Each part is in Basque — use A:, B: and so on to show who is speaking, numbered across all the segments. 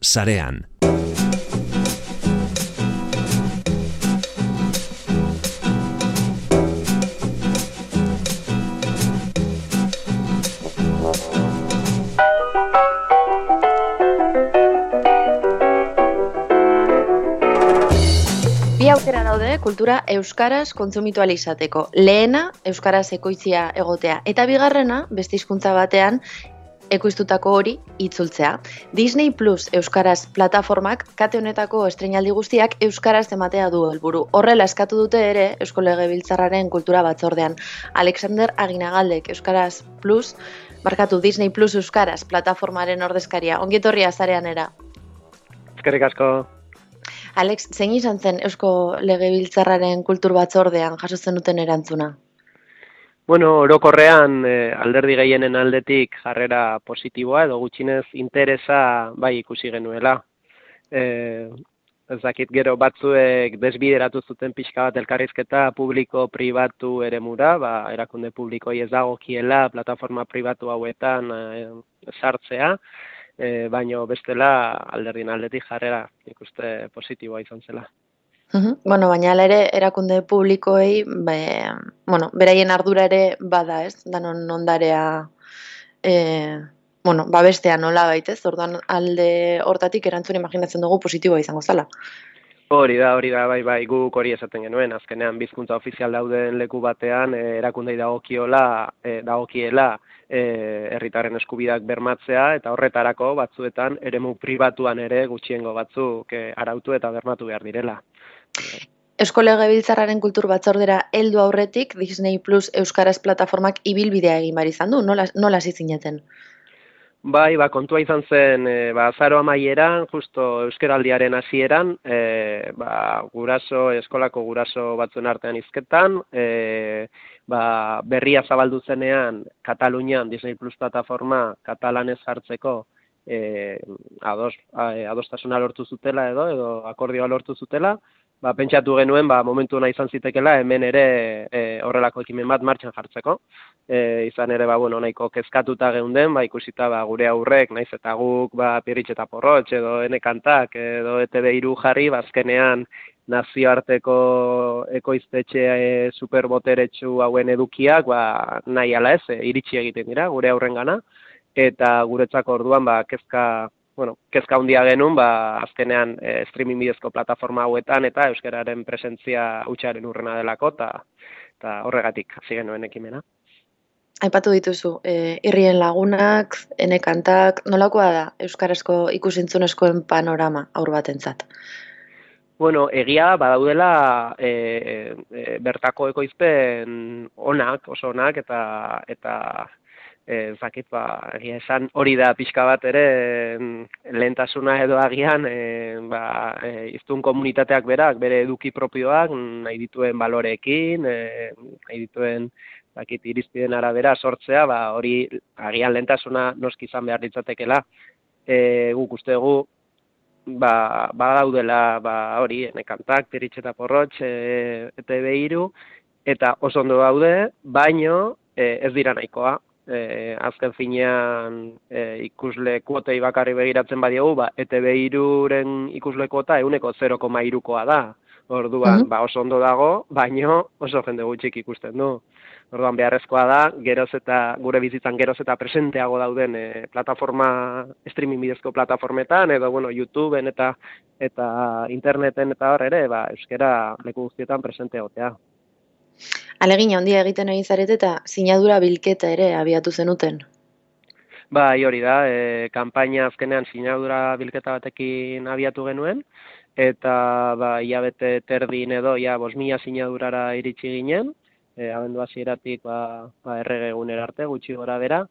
A: sarean.
B: Bi aukera daude kultura euskaraz kontsumitu ahal izateko. Lehena, euskaraz ekoizia egotea, eta bigarrena, beste hizkuntza batean, ekoiztutako hori itzultzea. Disney Plus euskaraz plataformak kate honetako estreinaldi guztiak euskaraz ematea du helburu. Horrela eskatu dute ere Eusko Legebiltzarraren kultura batzordean. Alexander Aginagaldek euskaraz Plus, Disney Plus euskaraz plataformaren ordezkaria. Ongi etorria sareanera.
C: Eskerrik asko.
B: Alex, zein izan zen Eusko Legebiltzarraren kultur batzordean jasotzen duten erantzuna?
C: Bueno, orokorrean alderdi gehienen aldetik jarrera positiboa edo gutxinez interesa bai ikusi genuela. Ez dakit gero batzuek desbideratu zuten pixka bat elkarrizketa publiko-pribatu eremura, erakunde publikoi ez dagokiela plataforma pribatu hauetan sartzea, baino bestela alderdien aldetik jarrera ikuste positiboa izan zela.
B: Bueno, baina ere erakunde publikoei, beraien ardura ere bada, ez? Danon ondarea, babestea nola baitez, orduan alde hortatik erantzun imaginatzen dugu positiboa izango zela.
C: Hori da, bai, guk hori esaten genuen, azkenean bizkuntza ofizial dauden leku batean erakundei dagokiela herritarren eskubideak bermatzea, eta horretarako batzuetan eremu pribatuan ere gutxiengo batzuk arautu eta bermatu behar direla.
B: Eusko Legebiltzarraren kultur batzordera heldu aurretik Disney Plus euskaraz plataformak ibilbidea egin behar izan du, nola hasi zineten?
C: Bai, kontua izan zen, azaro amaieran, justo euskaraldiaren hasieran, eskolako guraso batzuen artean hizketan, berria zabaldu zenean Katalunian Disney Plus plataforma katalanez hartzeko adostasuna lortu zutela edo akordioa lortu zutela, pentsatu genuen momentu ona izan zitekela hemen ere horrelako ekimen bat martxan jartzeko. Izan ere nahiko kezkatuta geunden, ikusita gure aurrek, naiz eta guk Pirritx eta Porrotx edo Enekantak edo ETV3 jarri, azkenean nazioarteko ekoiztetxe superboteretsu hauen edukiak nahi ala ez, iritsi egiten dira gure aurrengana, eta guretzako orduan kezka handia genuen, azkenean streaming bidezko plataforma hauetan eta euskararen presentzia hutsaren urrena delako, eta horregatik hasi genuen ekimena.
B: Aipatu dituzu, Irrien Lagunak, Enekantak, nolakoa da euskarazko ikus-entzunezkoen panorama haur batentzat?
C: Bueno, egia badaudela bertako ekoizpen oso onak eta zakit, egia esan hori da pixka bat ere lehentasuna edo agian hiztun komunitateak berak bere eduki propioak nahi dituen baloreekin, nahi dituen irizpideen arabera sortzea, hori agian lehentasuna noski izan behar ditzatekela. Guk uste dugu badaudela hori Enekantak, Pirritx eta Porrotx, ETV3, eta oso ondo daude, baino ez dira nahikoa. Azken finean ikusle kuotei bakarri begiratzen badiogu, ETV3-ren ikusle kuota 0,3koa da. Orduan, oso ondo dago, baino oso jende gutxik ikusten du. Orduan, beharrezkoa da, gure bizitzan geroz eta presenteago dauden streaming bidezko plataformetan, edo YouTubeen eta interneten eta hor ere, euskara leku guztietan presente egotea.
B: Alegina handia egiten egin zarete eta sinadura bilketa ere abiatu zenuten.
C: Bai, hori da, kanpaina azkenean sinadura bilketa batekin abiatu genuen, eta hilabete terdin edo 5.000 sinadurara iritsi ginen, abendu hasieratik errege egunera arte, gutxi gora bera,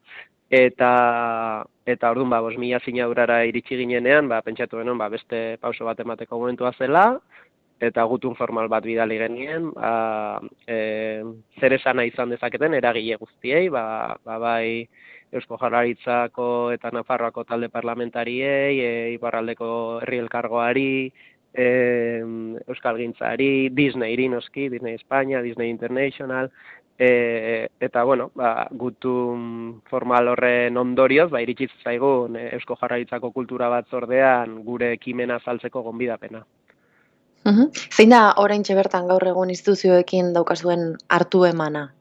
C: eta orduan 5.000 sinadurara iritsi ginenean, pentsatu genuen beste pauso bat emateko momentua zela, eta gutun formal bat bidali genien, zer esana izan dezaketen eragile guztiei, bai Eusko Jaurlaritzako eta Nafarroako talde parlamentariei, Iparraldeko herri elkargoari, Euskalgintzari, Disneyri noski, Disney España, Disney International, Eta, bueno, gutun formal horren ondorioz, iritsi zaigun Eusko Jaurlaritzako Kultura Batzordean gure ekimena azaltzeko gonbidapena.
B: Zein da oraintxe bertan gaur egun instituzioekin daukazuen hartu emana?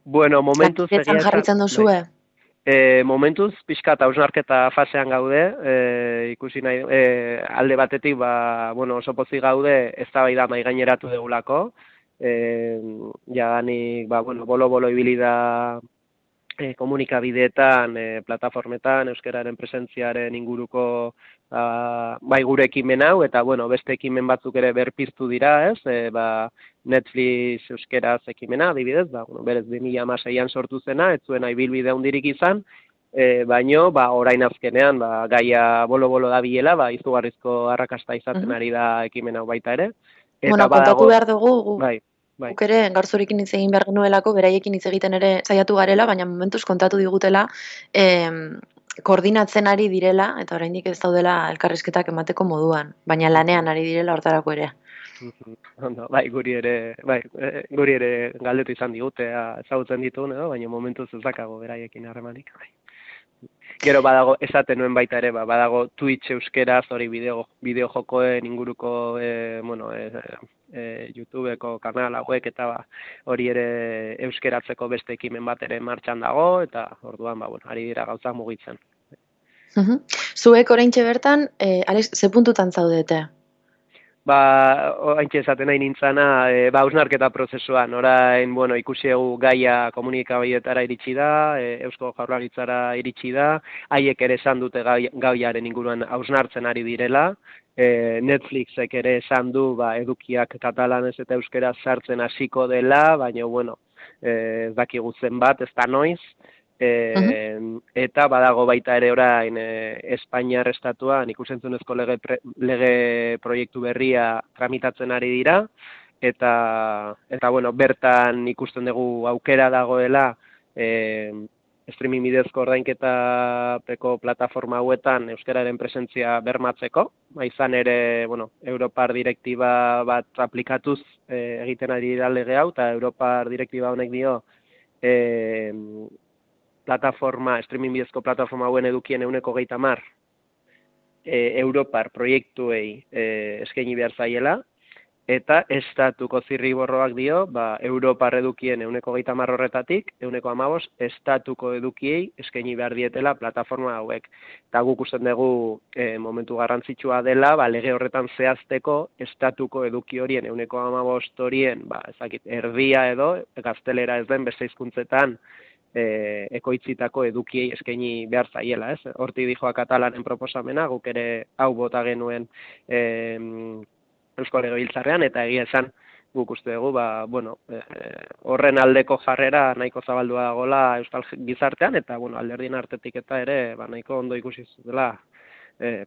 C: Bueno, momentuz
B: Lankidetzan jarritzen duzue?
C: Momentuz, pixkat hausnarketa fasean gaude, ikusi nahi, alde batetik, oso pozik gaude, eztabaida mahai gaineratu degulako, jadanik, bolo-bolo ibili da komunikabideetan, plataformetan, euskararen presentziaren inguruko gure ekimen hau, eta beste ekimen batzuk ere berpiztu dira, ez? Netflix euskeraz ekimena, adibidez, berez 2016an sortu zena, ez zuena ibilbide handirik izan, baino, orain azkenean, gaia bolo-bolo da bilela, izugarrizko arrakasta izaten ari da ekimen hau baita ere.
B: Kontatu behar dugu,
C: Bai.
B: Guk ere, Garzurekin hitz egin behar genuelako, beraiekin hitz egiten ere saiatu garela, baina momentuz kontatu digutela, koordinatzen ari direla, eta oraindik ez daudela elkarrizketak emateko moduan, baina lanean ari direla hortarako ere.
C: Guri ere galdetu izan digute, ezagutzen ditugun edo, baina momentuz ez dakago beraiekin harremanik. Gero badago, esaten nuen baita ere, badago Twitch euskeraz, hori bideo jokoen inguruko, YouTubeko kanal hauek, eta hori ere euskeratzeko beste ekimen bat ere martxan dago, eta orduan, ari dira gauzak mugitzen.
B: Zuek oraintxe bertan, Alex, ze puntutan zaudete?
C: Haintxe esaten nahi nintzana, hausnarketa prozesuan, orain, ikusi egu gaia komunikabideetara iritsi da, Eusko Jaurlaritzara iritsi da, haiek ere esan dute gaiaren inguruan hausnartzen ari direla, Netflixek ere esan du edukiak katalanez eta euskeraz sartzen hasiko dela, baina, ez dakigu zenbat, ez da noiz, eta badago baita ere orain Espainiar estatuan ikusentzunezko lege proiektu berria tramitatzen ari dira, eta bertan ikusten dugu aukera dagoela streaming bidezko ordainketapeko plataforma hauetan euskararen presentzia bermatzeko, izan ere, Europar direktiba bat aplikatuz egiten ari dira lege hau, eta Europar direktiba honek dio streaming bidezko plataforma hauen edukien 30% Europar proiektuei eskaini behar zaiela, eta estatuko zirriborroak dio, Europar edukien 30% horretatik, 15% estatuko edukiei eskaini behar dietela plataforma hauek. Eta guk usten dugu momentu garrantzitsua dela, lege horretan zehazteko estatuko eduki horien 15% horien, erdia edo, gaztelera ez den beste hizkuntzetan, ekoitzitako edukiei eskaini behar zaiela, ez? Hortik dijoa katalanen proposamena, guk ere hau bota genuen Eusko Legebiltzarrean, eta egia esan guk uste dugu, horren aldeko jarrera nahiko zabaldua dagoela euskal gizartean, eta alderdien artetik eta ere nahiko ondo ikusi dela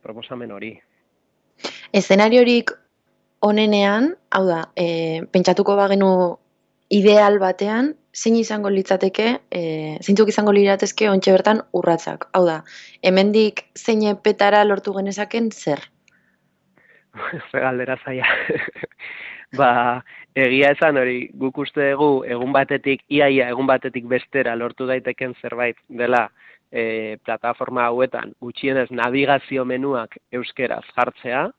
C: proposamen hori.
B: Eszenariorik onenean, hau da, pentsatuko bagenu ideal batean, zein izango litzateke, zeintzuk izango liratezke ontxe bertan urratsak. Hau da, hemendik zein petara lortu genezaken zer?
C: Galdera zaila. Egia esan hori, guk uste dugu egun batetik bestera lortu daiteken zerbait dela plataforma hauetan gutxienez navigazio menuak euskeraz jartzea,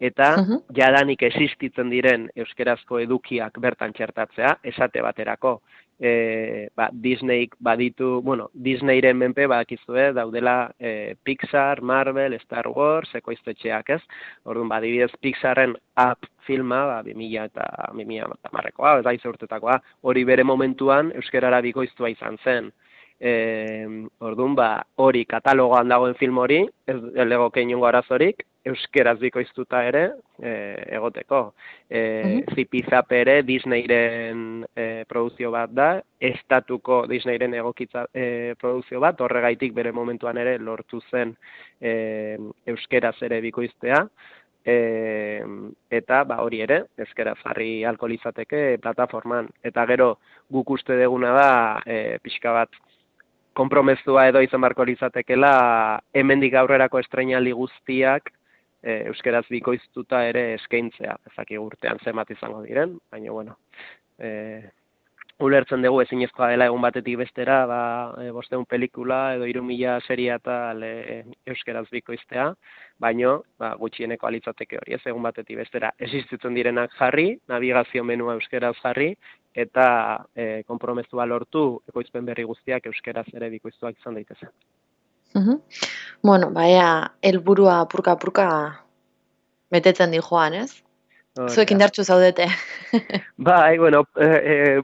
C: eta jadanik existitzen diren euskerazko edukiak bertan txertatzea, esate baterako. Disneyk baditu, Disneyren menpe badakizue daudela Pixar, Marvel, Star Wars, ekoiztetxeak, ez? Orduan, adibidez Pixarren Up filma, 2010koa, ez daiz urtetakoa, hori bere momentuan euskerara bikoiztua izan zen. Orduan, hori katalogoan dagoen film hori, ez legoke inongo arazorik, euskeraz bikoiztuta ere egoteko. Zipizape ere Disneyren produzio bat da, estatuko Disneyren egokitza produzio bat, horregaitik bere momentuan ere lortu zen euskeraz ere bikoiztea, eta hori ere, euskeraz jarri ahalko litzateke plataforman. Eta gero guk uste deguna da, pixka bat, konpromezua edo izan barko litzatekela hemendik aurrerako estreinaldi guztiak euskeraz bikoiztuta ere eskaintzea. Ezaki urtean zenbat izango diren, baina ulertzen dugu ezinezkoa dela egun batetik bestera, 500 pelikula edo 3000 seria eta euskeraz bikoiztea, baino gutxieneko alitzateke hori, ez egun batetik bestera existitzen direnak jarri, navigazio menua euskeraz jarri, eta konpromezua lortu ekoizpen berri guztiak euskeraz ere bikoiztuak izan daitezen.
B: Bueno, helburua apurka betetzen di joan, ez? Zuek indartsu zaudete.
C: Bai, bueno,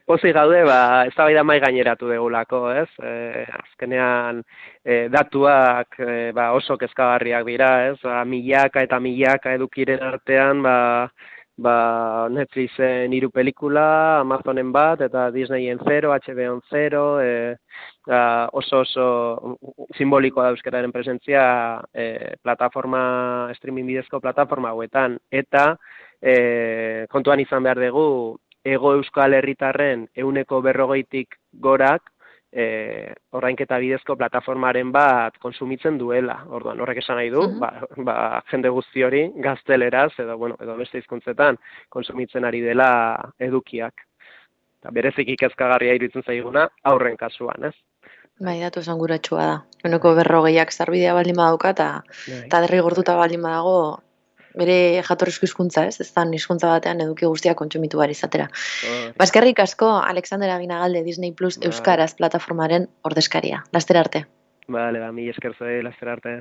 C: pozik gaude, eztabaida mai gaineratu degulako, ez? Azkenean datuak oso kezkagarriak dira, ez? Milaka eta milaka edukiren artean, Netflixen 3 pelikula, Amazonen bat, eta Disneyen 0, HBO-en 0, oso simbolikoa da euskararen presentzia plataforma, streaming bidezko plataforma hauetan, eta kontuan izan behar dugu, Hego Euskal Herritarren 40%tik gorak orrainketa bidezko plataformaren bat konsumitzen duela. Orduan, horrek esan nahi du, jende guzti hori gazteleraz edo beste hizkuntzetan konsumitzen ari dela edukiak. Eta bereziki kezkagarria iruditzen zaiguna aurren kasuan, ez?
B: Bai, datu esanguratsua da. 40%ak sarbidea baldin badauka eta derrigortuta baldin badago bere jatorrizko hizkuntza, ez? Ez da hizkuntza batean eduki guztiak kontsumitu behar izatera. Eskerrik asko, Alexander Aginagalde, Disney Plus Euskaraz plataformaren ordezkaria. Laster arte.
C: Bale, mila esker zuei, laster arte.